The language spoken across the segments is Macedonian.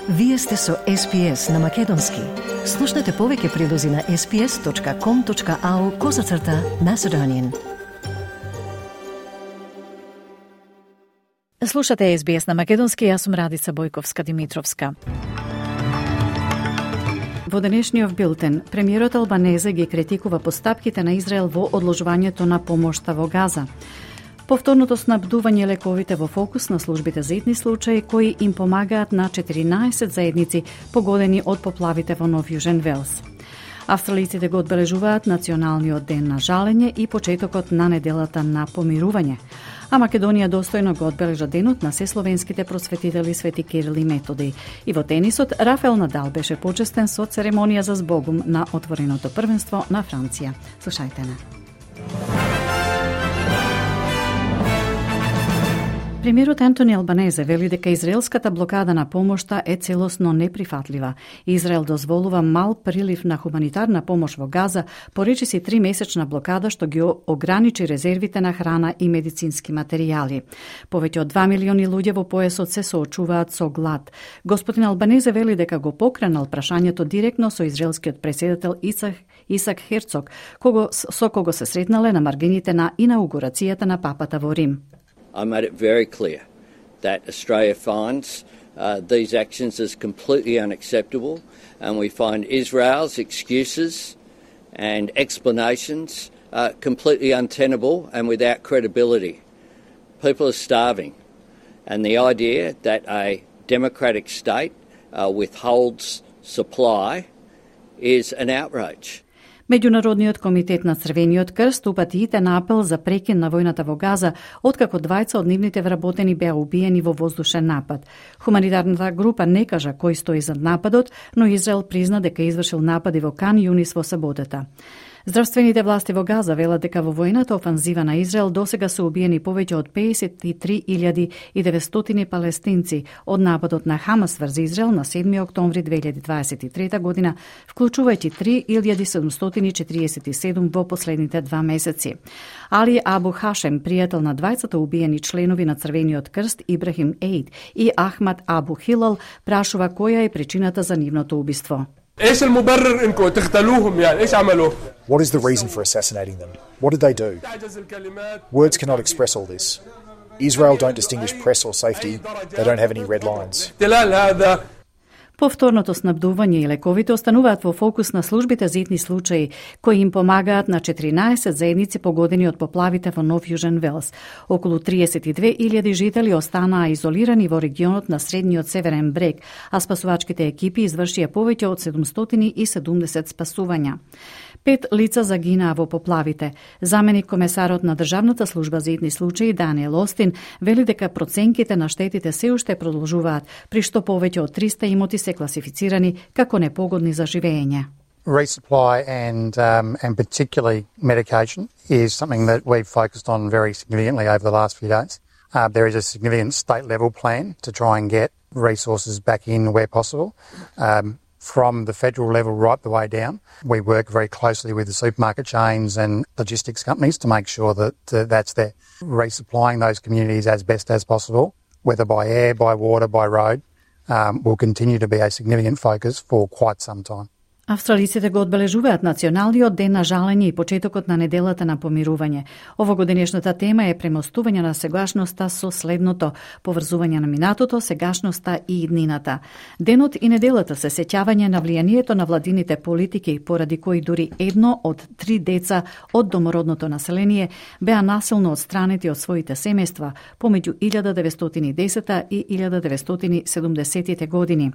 Вие сте со SPS на Македонски. Слушнете повеќе прилози на sps.com.au/Macedonian. Слушате SBS на Македонски, јас сум Радица Бојковска-Димитровска. Во денешниот билтен, премиерот Албанезе ги критикува постапките на Израел во одложувањето на помошта во Газа. Повторното снабдување лековите во фокус на службите за итни случаи кои им помагаат на 14 заедници погодени од поплавите во Нов Јужен Велс. Австралиците го одбележуваат Националниот ден на жалење и почетокот на неделата на помирување, а Македонија достојно го одбележа денот на сесловенските просветители Свети Кирил и Методи. И во тенисот, Рафаел Надал беше почестен со церемонија за збогум на отвореното првенство на Франција. Слушајте на. Премиерот Антони Албанезе вели дека израелската блокада на помошта е целосно неприфатлива. Израел дозволува мал прилив на хуманитарна помош во Газа, поречиси 3-месечна блокада што ги ограничи резервите на храна и медицински материјали. Повеќе од 2 милиони луѓе во појасот се соочуваат со глад. Господин Албанезе вели дека го покренал прашањето директно со израелскиот претседател Исак Херцог, со кого се сретнале на маргините на инаугурацијата на папата во Рим. I made it very clear that Australia finds these actions as completely unacceptable, and we find Israel's excuses and explanations completely untenable and without credibility. People are starving, and the idea that a democratic state withholds supply is an outrage. Меѓународниот комитет на Црвениот крст упати на апел за прекин на војната во Газа, откако двајца од нивните вработени беа убиени во воздушен напад. Хуманитарната група не кажа кој стои зад нападот, но Израел призна дека извршил напади во Кан Јунис во саботата. Здравствените власти во Газа велат дека во војната офанзива на Израел досега се убиени повеќе од 53.900 палестинци од нападот на Хамас врз Израел на 7 октомври 2023 година, вклучувајќи 3.747 во последните 2 месеци. Али Абу Хашем, пријател на двајцата убиени членови на Црвениот крст Ибрахим Ейд и Ахмад Абу Хилал, прашува која е причината за нивното убиство. ايش المبرر انكم تقتلوهم يعني ايش عملوا؟ What is the reason for assassinating them? What did they do? Words cannot express all this. Israel don't distinguish press or safety. They don't have any red lines. Повторното снабдување и лековите остануваат во фокус на службите за итни случаи, кои им помагаат на 14 заедници погодени од поплавите во Нов Јужен Велс. Околу 32.000 жители останаа изолирани во регионот на средниот северен брег, а спасувачките екипи извршија повеќе од 770 спасувања. 5 лица загинаа во поплавите. Заменик комесарот на Државната служба за итни случаи Даниел Остин вели дека проценките на штетите се уште продолжуваат, при што повеќе од 300 имоти се класифицирани како непогодни за живење. Resupply and particularly medication is something that we've focused on very significantly over the last few days. There is a significant state level plan to try and get resources back in where possible. From the federal level right the way down. We work very closely with the supermarket chains and logistics companies to make sure that that's there. Resupplying those communities as best as possible, whether by air, by water, by road, will continue to be a significant focus for quite some time. Австралиците го одбележуваат Националниот ден на жалење и почетокот на неделата на помирување. Овогодинешната тема е премостување на сегашноста со следното: поврзување на минатото, сегашноста и иднината. Денот и неделата се сеќавање на влијанието на владините политики, поради кои дури 1 од 3 деца од домородното население беа насилно отстранети од своите семејства помеѓу 1910 и 1970 години.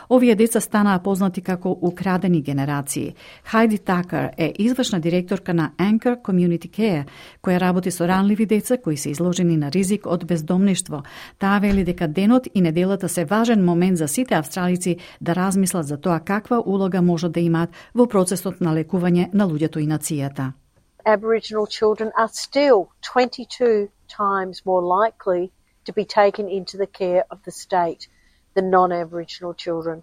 Овие деца станаа познати како украдени генерации. Хайди Такер е извршна директорка на Anchor Community Care, која работи со ранливи деца кои се изложени на ризик од бездомништво. Таа вели дека денот и неделата се важен момент за сите австралици да размислат за тоа каква улога можат да имаат во процесот на лекување на луѓето и нацијата. Aboriginal children are still 22 times more likely to be taken into the care of the state than non-Aboriginal children.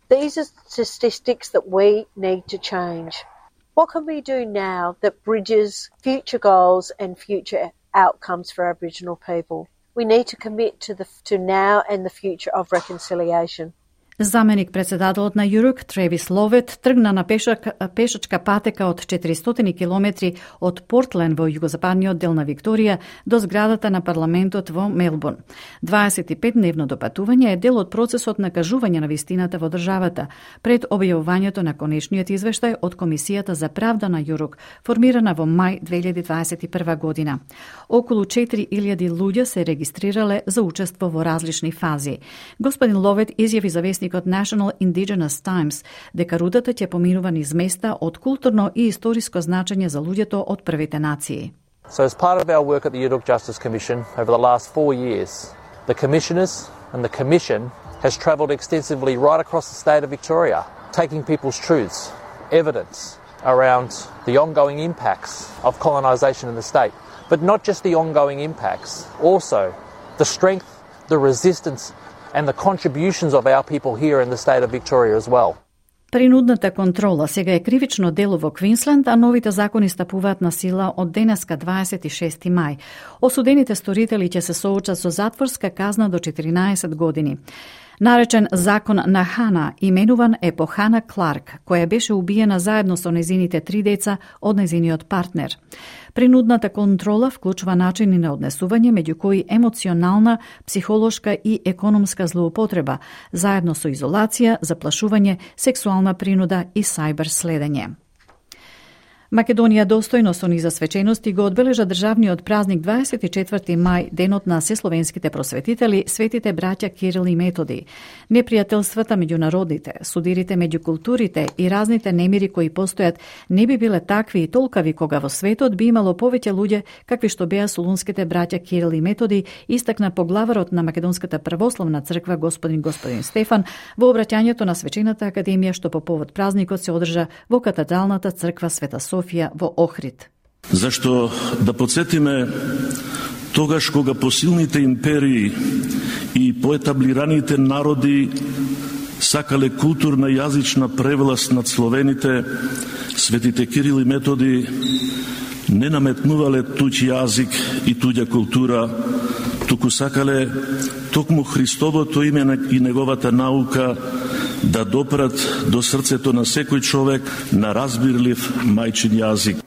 These are statistics that we need to change. What can we do now that bridges future goals and future outcomes for Aboriginal people? We need to commit to now and the future of reconciliation. Заменик председателот на Юрук, Тревис Ловет, тргна на пешачка патека од 400 километри од Портлен во југозападниот дел на Викторија до зградата на парламентот во Мелбурн. 25-дневното патување е дел од процесот на кажување на вистината во државата пред објавувањето на конечниот извештај од Комисијата за правда на Юрук, формирана во мај 2021 година. Околу 4000 луѓе се регистрирале за учество во различни фази. Господин Ловет изјави за вестникот National Indigenous Times дека рутата ќе поминува низ места од културно и историско значење за луѓето од првите нации. So as part of our work at the Yurok Justice Commission over the last 4 years, the commissioners and the commission has travelled extensively right across the state of Victoria, taking people's truths, evidence around the ongoing impacts of colonisation in the state. But not just the ongoing impacts, also the strength, the resistance and the contributions of our people here in the state of Victoria as well. Принудната контрола сега е кривично дело во Квинсленд, а новите закони стапуваат на сила од денеска 26 мај. Осудените сторители ќе се соочат со затворска казна до 14 години. Наречен закон на Хана, именуван е по Хана Кларк, која беше убиена заедно со незините 3 деца од незиниот партнер. Принудната контрола вклучува начини на однесување, меѓу кои емоционална, психолошка и економска злоупотреба, заедно со изолација, заплашување, сексуална принуда и сајбер следење. Македонија достојно со низа свечености го одбележа државниот празник 24 мај, денот на сесловенските просветители, светите браќа Кирил и Методи. Непријателствата меѓу народите, судирите меѓу културите и разните немири кои постојат не би биле такви и толкави кога во светот би имало повеќе луѓе какви што беа солунските браќа Кирил и Методи, истакна поглаварот на Македонската православна црква господин Стефан во обраќањето на свечената академија што по повод празникот се одржа во катедралната црква Света Софија во Охрид. Зашто да подсетиме тогаш кога посилните империи и поетаблираните народи сакале културна јазична превласт над словените, светите Кирил и Методи не наметнувале туѓ јазик и туѓа култура, туку сакале токму Христовото име и неговата наука да допрат до срцето на секој човек на разбирлив мајчин јазик.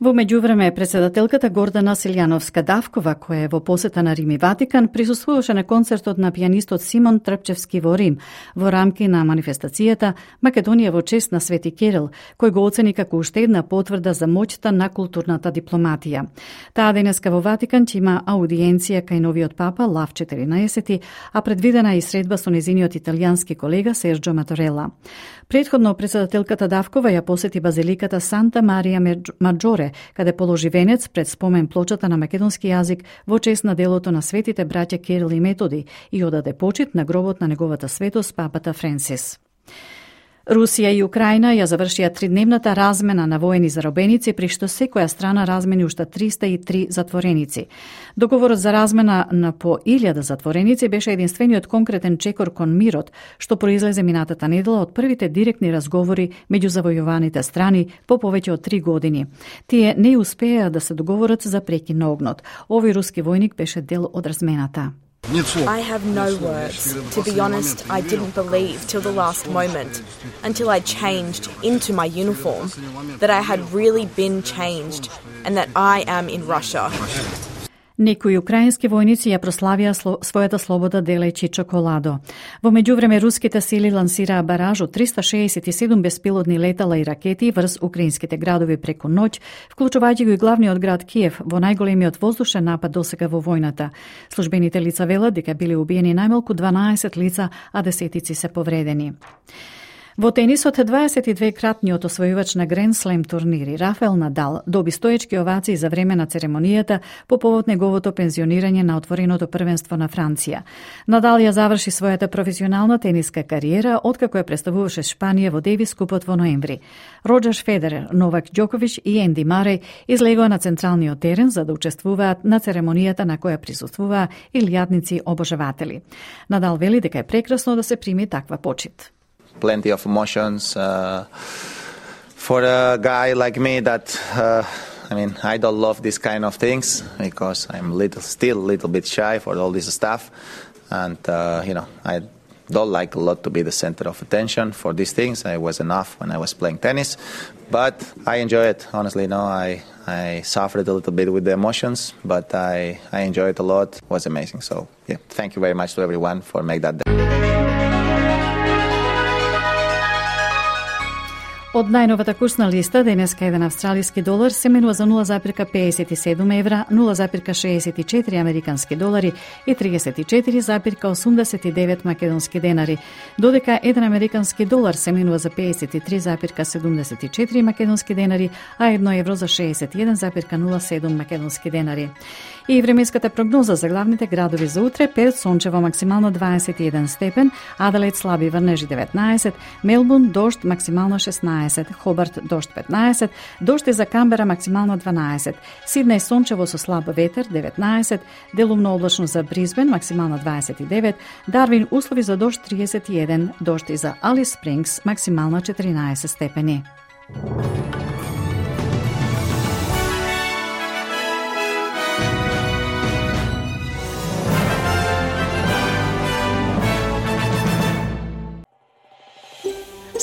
Во меѓувреме, председателката Гордана Силјановска-Давкова, која е во посета на Рим и Ватикан, присуствуваше на концертот на пијанистот Симон Трпчевски во Рим, во рамки на манифестацијата Македонија во чест на Свети Кирил, кој го оцени како уште една потврда за моќта на културната дипломатија. Таа денеска во Ватикан ќе има аудиенција кај новиот папа Лав 14, а предвидена и средба со незиниот италијански колега Серджо Матарела. Предходно председателката Давкова ја посети базиликата Санта Марија Маджоре, каде положи венец пред спомен плочата на македонски јазик во чест на делото на светите браќа Кирил и Методи и одаде почит на гробот на неговата светост папата Френсис. Русија и Украина ја завршија 3-дневната размена на воени заробеници, при што секоја страна размени уште 303 затвореници. Договорот за размена на по 1000 затвореници беше единствениот конкретен чекор кон мирот, што произлезе минатата недела од првите директни разговори меѓу завојуваните страни по повеќе од 3 години. Тие не успеа да се договорат за прекин на огнот. Овој руски војник беше дел од размената. I have no words. To be honest, I didn't believe till the last moment, until I changed into my uniform, that I had really been changed and that I am in Russia. Некои украински војници ја прославија својата слобода делејќи чоколадо. Во меѓувреме, руските сили лансираа бараж од 367 беспилотни летала и ракети врз украинските градови преку ноќ, вклучувајќи го и главниот град Киев во најголемиот воздушен напад досега во војната. Службените лица велат дека биле убиени најмалку 12 лица, а десетици се повредени. Во тенисот 22-кратниот освојувач на Гранд Слем турнири Рафаел Надал доби стоечки овации за време на церемонијата по повод неговото пензионирање на отвореното првенство на Франција. Надал ја заврши својата професионална тениска кариера откако ја представуваше Шпанија во Девис купот во ноември. Роџер Федерер, Новак Ѓоковиќ и Енди Мареј излегоа на централниот терен за да учествуваат на церемонијата на која присуствуваа илјадници обожаватели. Надал вели дека е прекрасно да се прими таква почит. Plenty of emotions for a guy like me that I don't love this kind of things because I'm still a little bit shy for all this stuff, and I don't like a lot to be the center of attention for these things. I was enough when I was playing tennis, but I enjoy it. Honestly, I suffered a little bit with the emotions, but I enjoyed it a lot. It was amazing. So, yeah, thank you very much to everyone for making that day. Од најновата курсна листа, денеска еден австралиски долар се менува за 0,57 евра, 0,64 американски долари и 34,89 македонски денари, додека еден американски долар се менува за 53,74 македонски денари, а 1 евро за 61,07 македонски денари. И временската прогноза за главните градови за утре: Перт сончево максимално 21 степен, Аделаид слаби врнежи 19, Мелбурн дожд максимално 16, Хобарт дожд 15, дожд и за Камбера максимално 12, Сиднеј сончево со слаб ветер 19, делумно облачно за Бризбен максимално 29, Дарвин услови за дожд 31, дожд и за Алис Спрингс максимално 14 степени.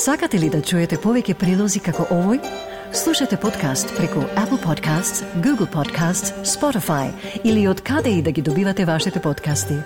Сакате ли да чуете повеќе прилози како овој? Слушате подкаст преку Apple Podcasts, Google Podcasts, Spotify или од каде и да ги добивате вашите подкасти.